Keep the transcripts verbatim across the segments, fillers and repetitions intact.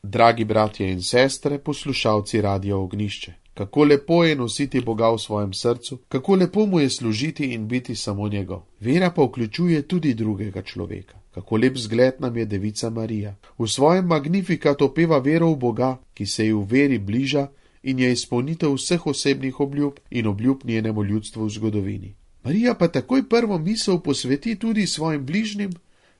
Dragi bratje in sestre, poslušalci Radia Ognjišče, kako lepo je nositi Boga v svojem srcu, kako lepo mu je služiti in biti samo njegov. Vera pa vključuje tudi drugega človeka. Kako lep zgled nam je devica Marija. V svojem Magnificat opeva vero v Boga, ki se ji v veri bliža in je izpolnitev vseh osebnih obljub in obljub njenemu ljudstvu v zgodovini. Marija pa takoj prvo misel posveti tudi svojim bližnjim,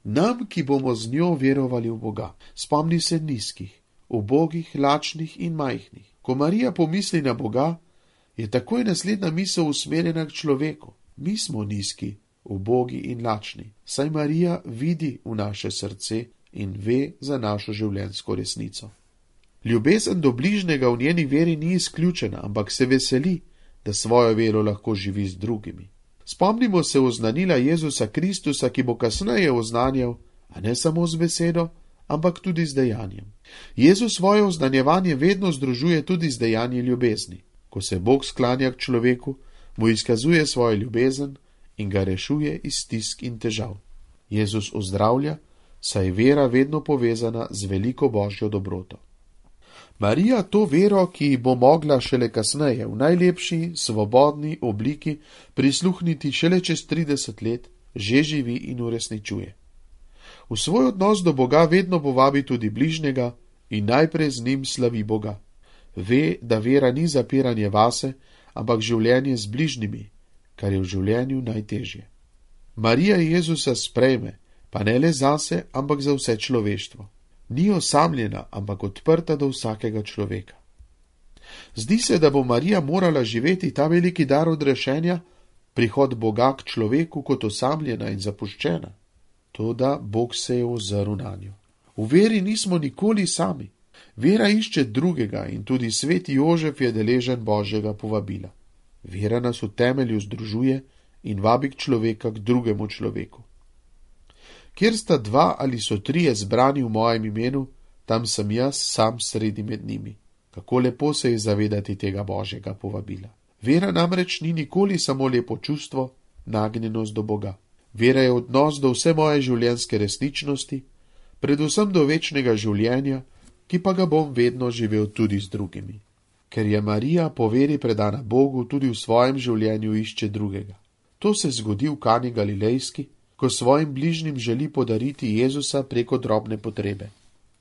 nam, ki bomo z njo verovali v Boga. Spomni se nizkih, ubogih, lačnih in majhnih. Ko Marija pomisli na Boga, je takoj naslednja misel usmerjena k človeku. Mi smo nizki, ubogi in lačni, saj Marija vidi v naše srce in ve za našo življenjsko resnico. Ljubezen do bližnjega v njeni veri ni izključena, ampak se veseli, da svojo vero lahko živi z drugimi. Spomnimo se oznanila Jezusa Kristusa, ki bo kasneje oznanjal, a ne samo z besedo, ampak tudi z dejanjem. Jezus svoje oznanjevanje vedno združuje tudi z dejanji ljubezni. Ko se Bog sklanja k človeku, mu izkazuje svojo ljubezen in ga rešuje iz stisk in težav. Jezus ozdravlja, saj je vera vedno povezana z veliko božjo dobroto. Marija to vero, ki ji bo mogla šele kasneje v najlepši, svobodni obliki prisluhniti šele čez trideset let, že živi in uresničuje. V svoj odnos do Boga vedno povabi tudi bližnjega in najprej z njim slavi Boga. Ve, da vera ni zapiranje vase, ampak življenje z bližnjimi, kar je v življenju najtežje. Marija Jezusa sprejme, pa ne le zase, ampak za vse človeštvo. Ni osamljena, ampak odprta do vsakega človeka. Zdi se, da bo Marija morala živeti ta veliki dar odrešenja, prihod Boga k človeku kot osamljena in zapuščena. Toda Bog se je ozrl nanjo. V veri nismo nikoli sami. Vera išče drugega in tudi sveti Jožef je deležen Božjega povabila. Vera nas v temelju združuje in vabi k človeka k drugemu človeku. Kjer sta dva ali so trije zbrani v mojem imenu, tam sem jaz sam sredi med njimi. Kako lepo se je zavedati tega Božjega povabila. Vera namreč ni nikoli samo lepo čustvo, nagnjenost do Boga. Vera je odnos do vse moje življenjske resničnosti, predvsem do večnega življenja, ki pa ga bom vedno živel tudi z drugimi. Ker je Marija po veri predana Bogu, tudi v svojem življenju išče drugega. To se zgodi v Kani Galilejski, ko svojim bližnjim želi podariti Jezusa preko drobne potrebe.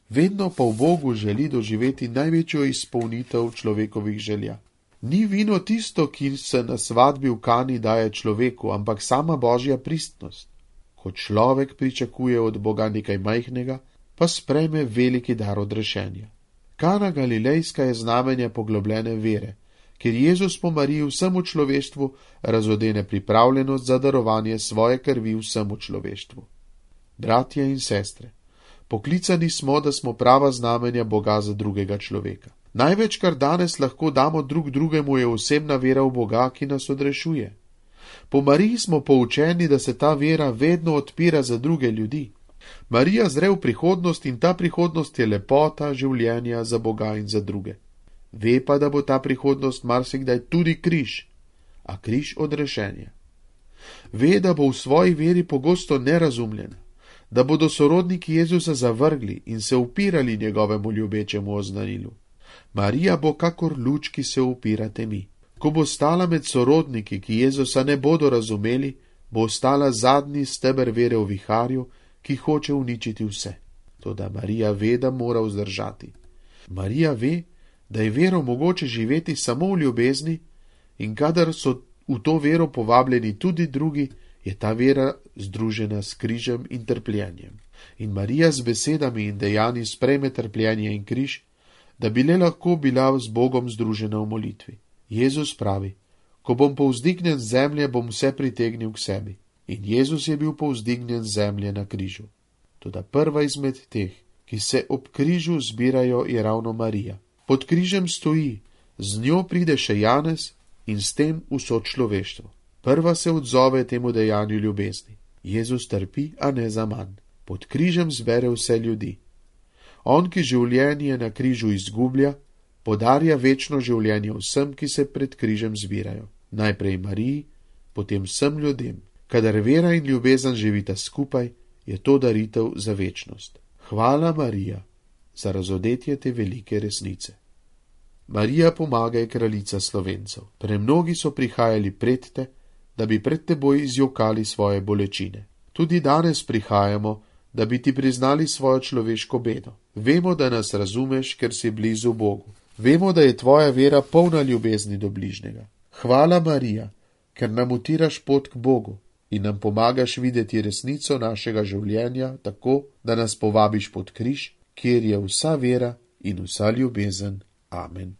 Vedno pa v Bogu želi doživeti največjo izpolnitev človekovih želja. Ni vino tisto, ki se na svadbi v Kani daje človeku, ampak sama Božja pristnost. Ko človek pričakuje od Boga nekaj majhnega, pa sprejme veliki dar odrešenja. Kana Galilejska je znamenje poglobljene vere, ker Jezus po Mariji vsemu človeštvu razodene pripravljenost za darovanje svoje krvi vsemu človeštvu. Bratje in sestre, poklicani smo, da smo prava znamenja Boga za drugega človeka. Največ, kar danes lahko damo drug drugemu, je osebna vera v Boga, ki nas odrešuje. Po Mariji smo poučeni, da se ta vera vedno odpira za druge ljudi. Marija zre v prihodnost in ta prihodnost je lepota življenja za Boga in za druge. Ve pa, da bo ta prihodnost marsikdaj tudi križ, a križ odrešenja. Ve, da bo v svoji veri pogosto nerazumljena, da bodo sorodniki Jezusa zavrgli in se upirali njegovemu ljubečemu oznanilu. Marija bo kakor luč, ki se upira temi. Ko bo stala med sorodniki, ki Jezusa ne bodo razumeli, bo ostala zadnji steber vere v viharju, ki hoče uničiti vse. Toda Marija ve, da mora vzdržati. Marija ve, da je vero mogoče živeti samo v ljubezni in kadar so v to vero povabljeni tudi drugi, je ta vera združena s križem in trpljenjem. In Marija z besedami in dejanji sprejme trpljenje in križ, da bi le lahko bila z Bogom združena v molitvi. Jezus pravi, ko bom povzdignjen z zemlje, bom vse pritegnil k sebi. In Jezus je bil povzdignjen z zemlje na križu. Toda prva izmed teh, ki se ob križu zbirajo, je ravno Marija. Pod križem stoji, z njo pride še Janez in s tem vso človeštvo. Prva se odzove temu dejanju ljubezni. Jezus trpi, a ne za manj. Pod križem zbere vse ljudi. On, ki življenje na križu izgublja, podarja večno življenje vsem, ki se pred križem zbirajo. Najprej Mariji, potem vsem ljudem. Kadar vera in ljubezen živita skupaj, je to daritev za večnost. Hvala, Marija, za razodetje te velike resnice. Marija, pomagaj, kraljica Slovencev. Premnogi so prihajali pred te, da bi pred teboj izjokali svoje bolečine. Tudi danes prihajamo, da bi ti priznali svojo človeško bedo. Vemo, da nas razumeš, ker si blizu Bogu. Vemo, da je tvoja vera polna ljubezni do bližnjega. Hvala, Marija, ker nam utiraš pot k Bogu in nam pomagaš videti resnico našega življenja tako, da nas povabiš pod križ, kjer je vsa vera in vsa ljubezen. Amen.